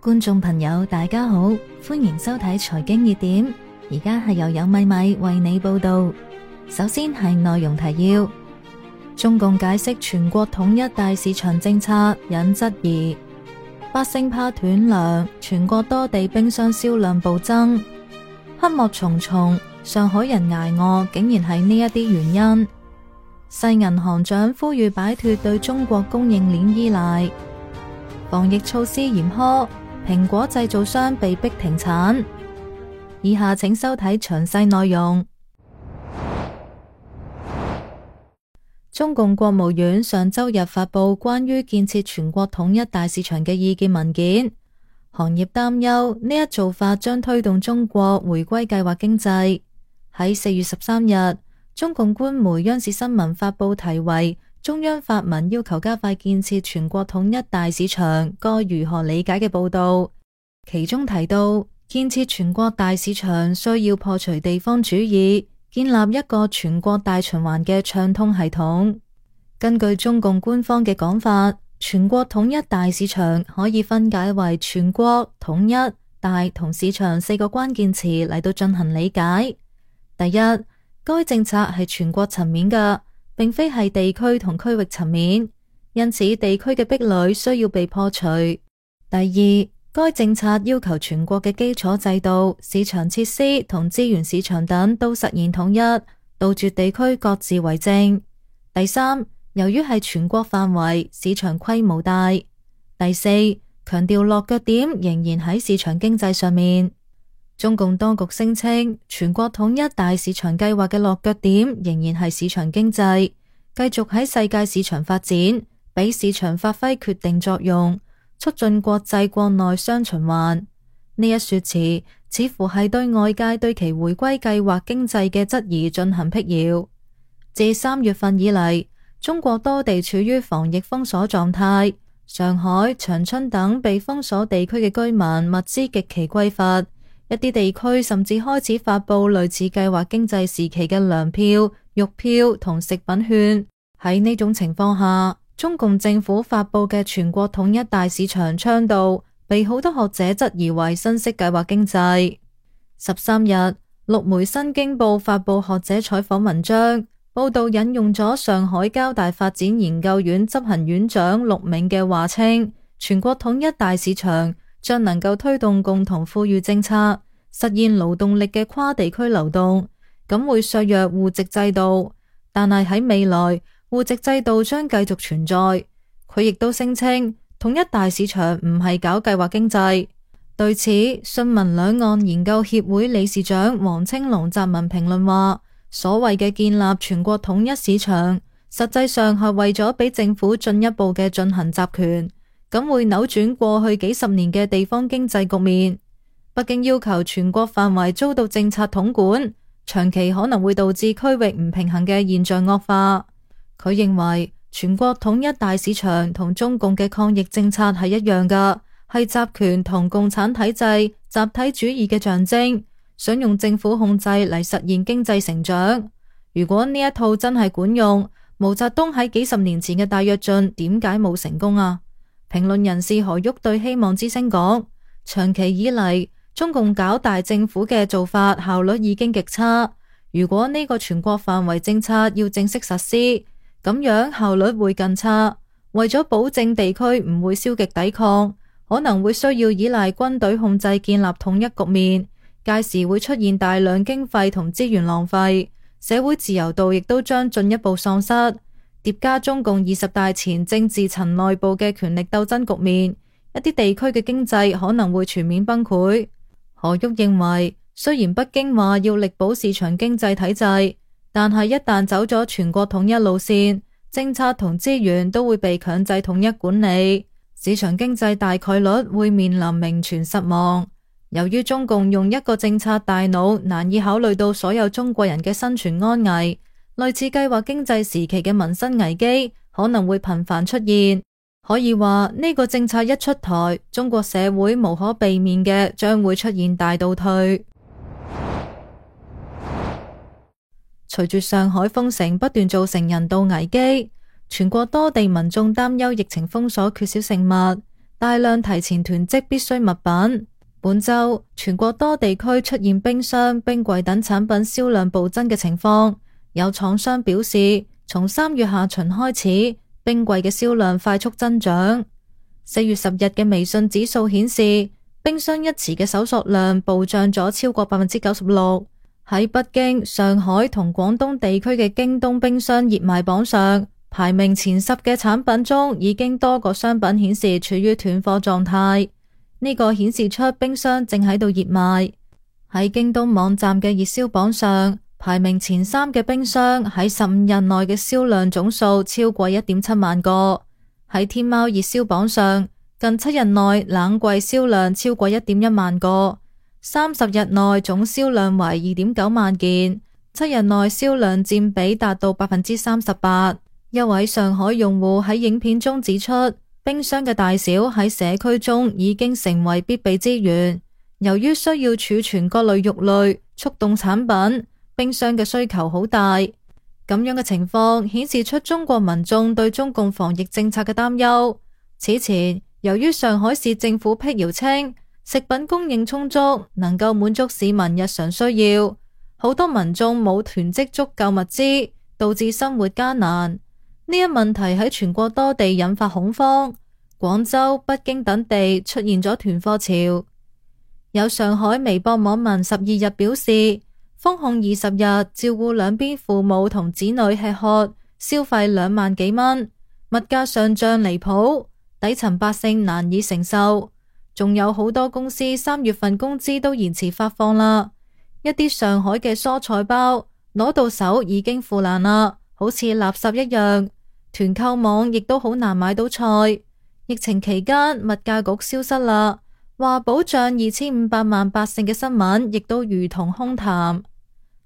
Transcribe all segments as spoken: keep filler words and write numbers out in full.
觀眾朋友大家好，歡迎收睇財經熱點，而家係由有米米為你報道。首先係內容提要：中共解釋全國統一大市場政策引質疑，百姓怕斷糧，全國多地冰箱銷量暴增，黑幕重重，上海人捱餓竟然係呢一啲原因。世銀行長呼籲擺脫對中國供應鏈依賴，防疫措施嚴苛，蘋果製造商被逼停產。以下請收睇詳細內容。中共國務院上周日發佈關於建設全國統一大市場嘅意見文件，行業擔憂呢一做法將推動中國回歸計劃經濟。喺四月十三日，中共官媒央視新聞發佈題為中央發文要求加快建設全國統一大市場，該如何理解嘅報道，其中提到建設全國大市場需要破除地方主義，建立一個全國大循環嘅暢通系統。根據中共官方嘅講法，全國統一大市場可以分解為全國、統一、大同市場四個關鍵詞嚟到進行理解。第一，該政策係全國層面嘅，並非係地區同區域層面，因此地區嘅壁壘需要被破除。第二，該政策要求全國嘅基礎制度、市場設施同資源市場等都實現統一，杜絕地區各自為政。第三，由於係全國範圍，市場規模大。第四，強調落腳點仍然喺市場經濟上面。中共當局聲稱，全國統一大市場計劃嘅落腳點仍然係市場經濟，繼續喺世界市場發展，俾市場發揮決定作用，促進國際國內雙循環。呢一說辭似乎係對外界對其回歸計劃經濟嘅質疑進行闢謠。自三月份以嚟，中國多地處於防疫封鎖狀態，上海、長春等被封鎖地區嘅居民物資極其匱乏。一啲地區甚至開始發佈類似計劃經濟時期嘅糧票、肉票同食品券。喺呢種情況下，中共政府發佈嘅全國統一大市場倡導，被好多學者質疑為新式計劃經濟。十三日，陸媒《新京報》發佈學者採訪文章，報道引用咗上海交大發展研究院執行院長陸銘嘅話，稱全國統一大市場將能夠推動共同富裕政策，實現勞動力嘅跨地區流動，咁會削弱戶籍制度，但係喺未來戶籍制度將繼續存在。佢亦都聲稱統一大市場唔係搞計劃經濟。對此，信民兩岸研究協會理事長黃青龍撰文評論話，所謂嘅建立全國統一市場，實際上係為咗俾政府進一步嘅進行集權，咁會扭轉過去幾十年嘅地方經濟局面。北京要求全國範圍遭到政策統管，長期可能會導致區域唔平衡嘅現象惡化。佢認為全國統一大市場同中共嘅抗疫政策係一樣㗎，係集權同共產體制集體主義嘅象徵，想用政府控制嚟實現經濟成長。如果呢一套真係管用，毛澤東喺幾十年前嘅大躍進點解冇成功啊？評論人士何旭對希望之聲講，長期以嚟中共搞大政府嘅做法效率已經極差，如果呢個全國範圍政策要正式實施，咁樣效率會更差。為咗保證地區唔會消極抵抗，可能會需要依賴軍隊控制建立統一局面，屆時會出現大量經費同資源浪費，社會自由度亦都將進一步喪失，疊加中共二十大前政治層內部嘅權力鬥爭局面，一啲地區嘅經濟可能會全面崩潰。何旭認為，雖然北京話要力保市場經濟體制，但係一旦走咗全國統一路線，政策同資源都會被強制統一管理，市場經濟大概率會面臨名存實亡。由於中共用一個政策大腦難以考慮到所有中國人嘅生存安危，類似計劃經濟時期嘅民生危機可能會頻繁出現。可以話呢個政策一出台，中國社會無可避免嘅將會出現大倒退。隨住上海封城不斷造成人道危機，全國多地民眾擔憂疫情封鎖缺少食物，大量提前囤積必需物品。本週全國多地區出現冰箱、冰櫃等產品銷量暴增嘅情況，有廠商表示，從三月下旬開始，冰櫃嘅銷量快速增長。四月十日嘅微信指數顯示，冰箱一詞嘅搜索量暴漲咗超過百分之九十六。喺北京、上海同廣東地區嘅京東冰箱熱賣榜上，排名前十嘅產品中，已經多個商品顯示處於斷貨狀態。呢個顯示出冰箱正喺度熱賣。喺京東網站嘅熱銷榜上，排名前三嘅冰箱喺十五日內嘅銷量總數超過一點七萬個。喺天貓熱銷榜上，近七日內冷櫃銷量超過一點一萬個。三十日內總銷量為二點九萬件，七日內銷量佔比達到百分之三十八。一位上海用戶喺影片中指出，冰箱嘅大小喺社區中已經成為必備資源。由於需要儲存各類肉類、速凍產品，冰箱嘅需求好大。咁樣嘅情況顯示出中國民眾對中共防疫政策嘅擔憂。此前，由於上海市政府闢謠稱，食品供應充足，能夠滿足市民日常需要，好多民眾冇囤積足夠物資，導致生活艱難。呢一問題喺全國多地引發恐慌，廣州、北京等地出現咗囤貨潮。有上海微博網民十二日表示，封控二十日，照顧兩邊父母同子女吃喝，消費兩萬幾蚊，物價上漲離譜，底層百姓難以承受。仲有好多公司三月份工資都延遲發放啦，一啲上海嘅蔬菜包攞到手已經腐爛啦，好似垃圾一樣。團購網亦都好難買到菜。疫情期間物價局消失啦，話保障二千五百萬百姓嘅新聞亦都如同空談。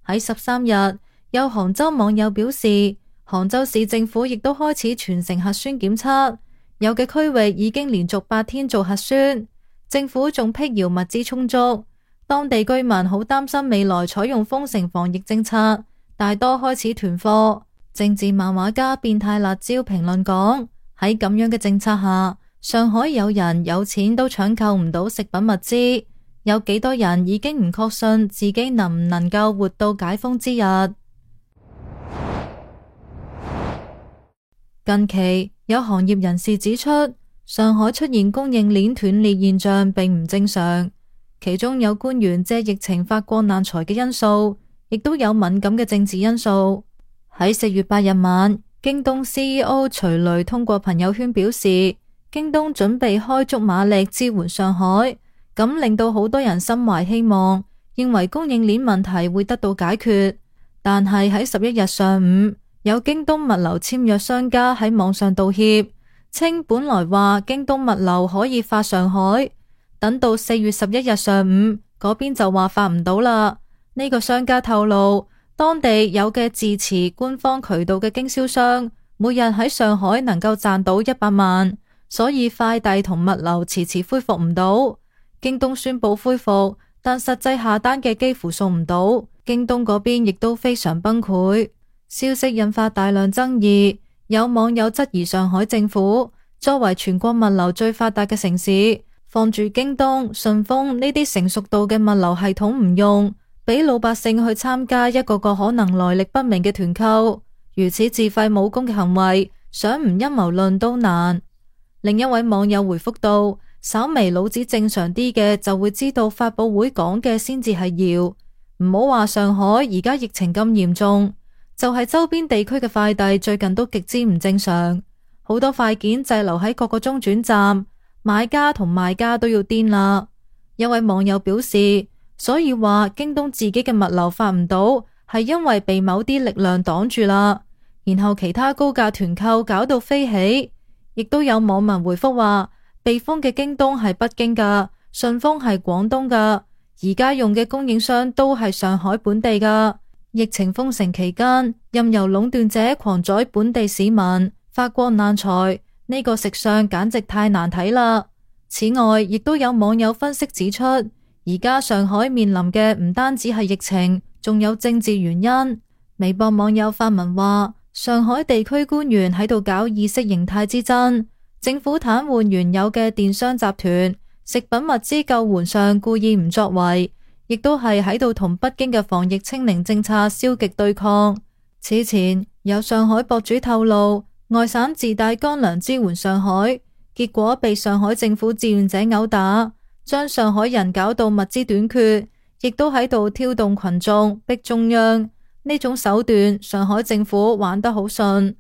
喺十三日，有杭州網友表示，杭州市政府亦都開始全城核酸檢測，有嘅區域已經連續八天做核酸。政府仲闢謠物資充足，當地居民好擔心未來採用封城防疫政策，大多開始囤貨。政治漫畫家變態辣椒評論講，喺咁樣嘅政策下，上海有人有錢都搶購唔到食品物資，有幾多人已經唔確信自己能唔能夠活到解封之日。近期有行業人士指出，上海出現供應鏈斷裂現象並唔正常，其中有官員借疫情發國難財嘅因素，亦都有敏感嘅政治因素。喺四月八日晚，京東 C E O 徐雷通過朋友圈表示，京東準備開足馬力支援上海，咁令到好多人心懷希望，認為供應鏈問題會得到解決。但係喺十一日上午，有京東物流簽約商家喺網上道歉，稱本來話京東物流可以發上海，等到四月十一日上午，嗰邊就話發唔到啦。呢個商家透露，當地有嘅自持官方渠道嘅經銷商，每日喺上海能夠賺到一百萬，所以快遞同物流遲遲恢復唔到。京東宣布恢復，但實際下單嘅幾乎送唔到，京東嗰邊亦都非常崩潰。消息引發大量爭議。有網友質疑上海政府作為全國物流最發達嘅城市，放住京東、順豐呢啲成熟度嘅物流系統唔用，俾老百姓去參加一個個可能來歷不明嘅團購，如此自廢武功嘅行為，想唔陰謀論都難。另一位網友回覆道，稍微腦子正常啲嘅就會知道發佈會講嘅先至係謠，唔好話上海而家疫情咁嚴重。就係周邊地區嘅快遞最近都極之唔正常，好多快件滯留喺各個中轉站，買家同賣家都要癲啦。一位網友表示，所以話京東自己嘅物流發唔到，係因為被某啲力量擋住啦，然後其他高價團購搞到飛起。亦都有網民回覆話，被封嘅京東係北京噶，順豐係廣東噶，而家用嘅供應商都係上海本地噶。疫情封城期間，任由壟斷者狂宰本地市民，發國難財，呢個食相簡直太難睇啦。此外，亦都有網友分析指出，而家上海面臨嘅唔單止係疫情，仲有政治原因。微博網友發文話，上海地區官員喺度搞意識形態之爭，政府癱瘓原有嘅電商集團，食品物資救援上故意唔作為，亦都係喺度同北京嘅防疫清零政策消極對抗。此前有上海博主透露，外省自帶乾糧支援上海，結果被上海政府志願者毆打，將上海人搞到物資短缺，亦都喺度挑動群眾逼中央。呢種手段，上海政府玩得好順。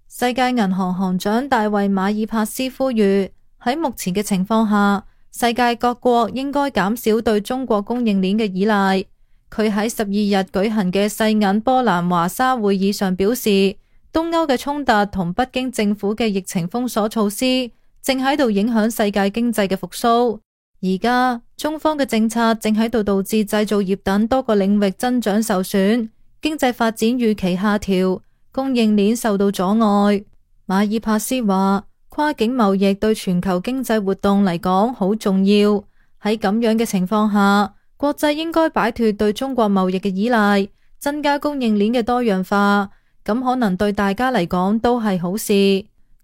世界銀行行長大衛馬爾帕斯呼籲，喺目前嘅情況下，世界各國應該減少對中國供應鏈嘅依賴。佢喺十二日舉行嘅世銀波蘭華沙會議上表示，東歐嘅衝突同北京政府嘅疫情封鎖措施正喺度影響世界經濟嘅復甦。而家中方嘅政策正喺度導致製造業等多個領域增長受損，經濟發展預期下調，供應鏈受到阻礙。馬爾帕斯話，跨境貿易對全球經濟活動嚟講好重要。喺咁樣嘅情況下，國際應該擺脫對中國貿易嘅依賴，增加供應鏈嘅多樣化，咁可能對大家嚟講都係好事。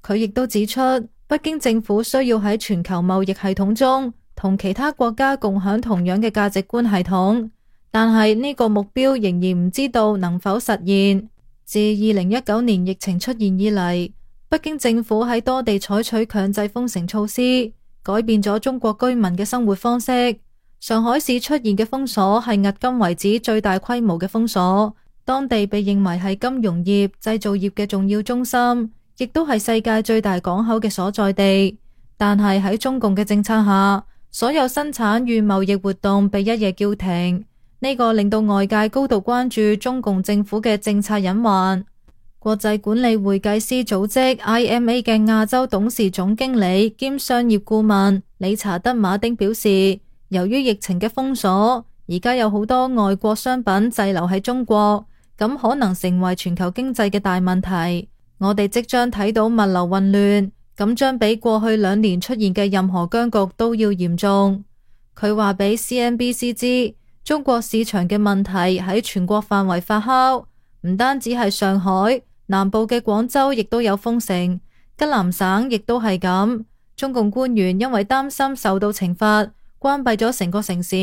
佢亦都指出，北京政府需要喺全球貿易系統中同其他國家共享同樣嘅價值觀系統，但係呢個目標仍然唔知道能否實現。自二零一九年疫情出現以嚟，北京政府喺多地採取強制封城措施，改變咗中國居民嘅生活方式。上海市出現嘅封鎖係迄今為止最大規模嘅封鎖，當地被認為係金融業、製造業嘅重要中心，亦都係世界最大港口嘅所在地。但係喺中共嘅政策下，所有生產與貿易活動被一夜叫停，呢個令到外界高度關注中共政府嘅政策隱患。國際管理會計師組織 I M A 嘅亞洲董事總經理兼商業顧問理查德馬丁表示，由於疫情嘅封鎖，而家有好多外國商品滯留喺中國，咁可能成為全球經濟嘅大問題。我哋即將睇到物流混亂，咁將比過去兩年出現嘅任何僵局都要嚴重。佢話俾 C N B C 知，中國市場嘅問題喺全國範圍發酵，唔單止係上海，南部嘅廣州亦都有封城，吉林省亦都係咁。中共官員因為擔心受到懲罰，關閉咗成個城市，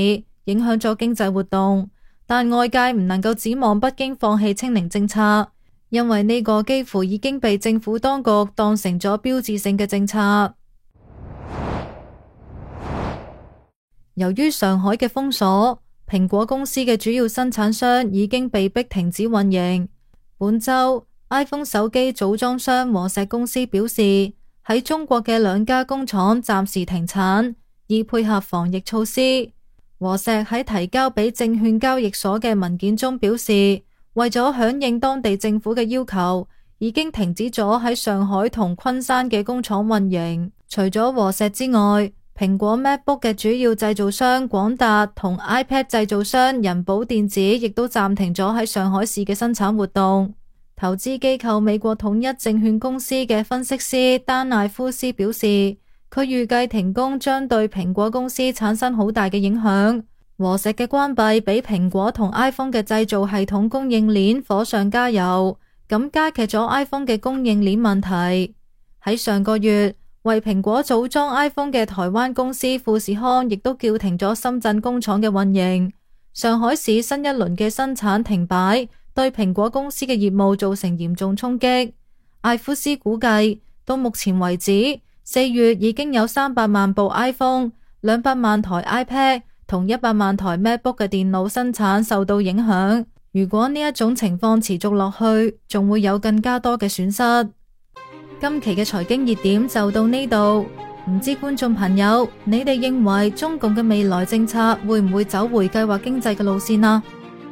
影響咗經濟活動，但外界唔能夠指望北京放棄清零政策，因為呢個幾乎已經被政府當局當成咗標誌性嘅政策。由於上海嘅封鎖，蘋果公司嘅主要生產商已經被迫停止運營。本周 iPhone 手機組裝商和碩公司表示，喺中國嘅兩家工廠暫時停產，以配合防疫措施。和碩喺提交俾證券交易所嘅文件中表示，為咗響應當地政府嘅要求，已經停止咗喺上海同昆山嘅工廠運營。除咗和碩之外，蘋果 MacBook 嘅主要製造商廣達同 iPad 製造商人保電子亦都暫停咗喺上海市嘅生產活動。投資機構美國統一證券公司嘅分析師丹艾夫斯表示，佢預計停工將對蘋果公司產生好大嘅影響。和碩嘅關閉俾蘋果同 iPhone 嘅製造系統供應鏈火上加油，咁加劇咗 iPhone 嘅供應鏈問題。喺上個月，為蘋果組裝 iPhone 嘅台灣公司富士康亦都叫停咗深圳工廠嘅運營。上海市新一輪嘅生產停擺，對蘋果公司嘅業務造成嚴重衝擊。艾夫斯估計，到目前為止，四月已經有三百萬部 iPhone、兩百萬台 iPad 同一百萬台 MacBook 嘅電腦生產受到影響。如果呢一種情況持續落去，仲會有更加多嘅損失。今期嘅財經熱點就到呢度，唔知觀眾朋友，你哋認為中共嘅未來政策會唔會走回計劃經濟嘅路線啊？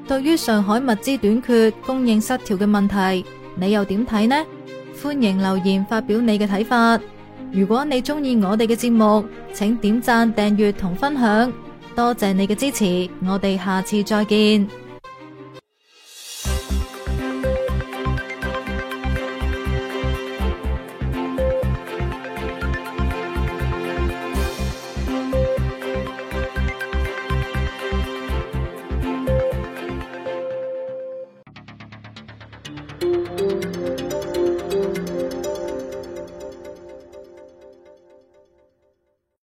對於上海物資短缺、供應失調嘅問題，你又點睇呢？歡迎留言發表你嘅睇法。如果你中意我哋嘅節目，請點讚、訂閱同分享，多謝你嘅支持，我哋下次再見。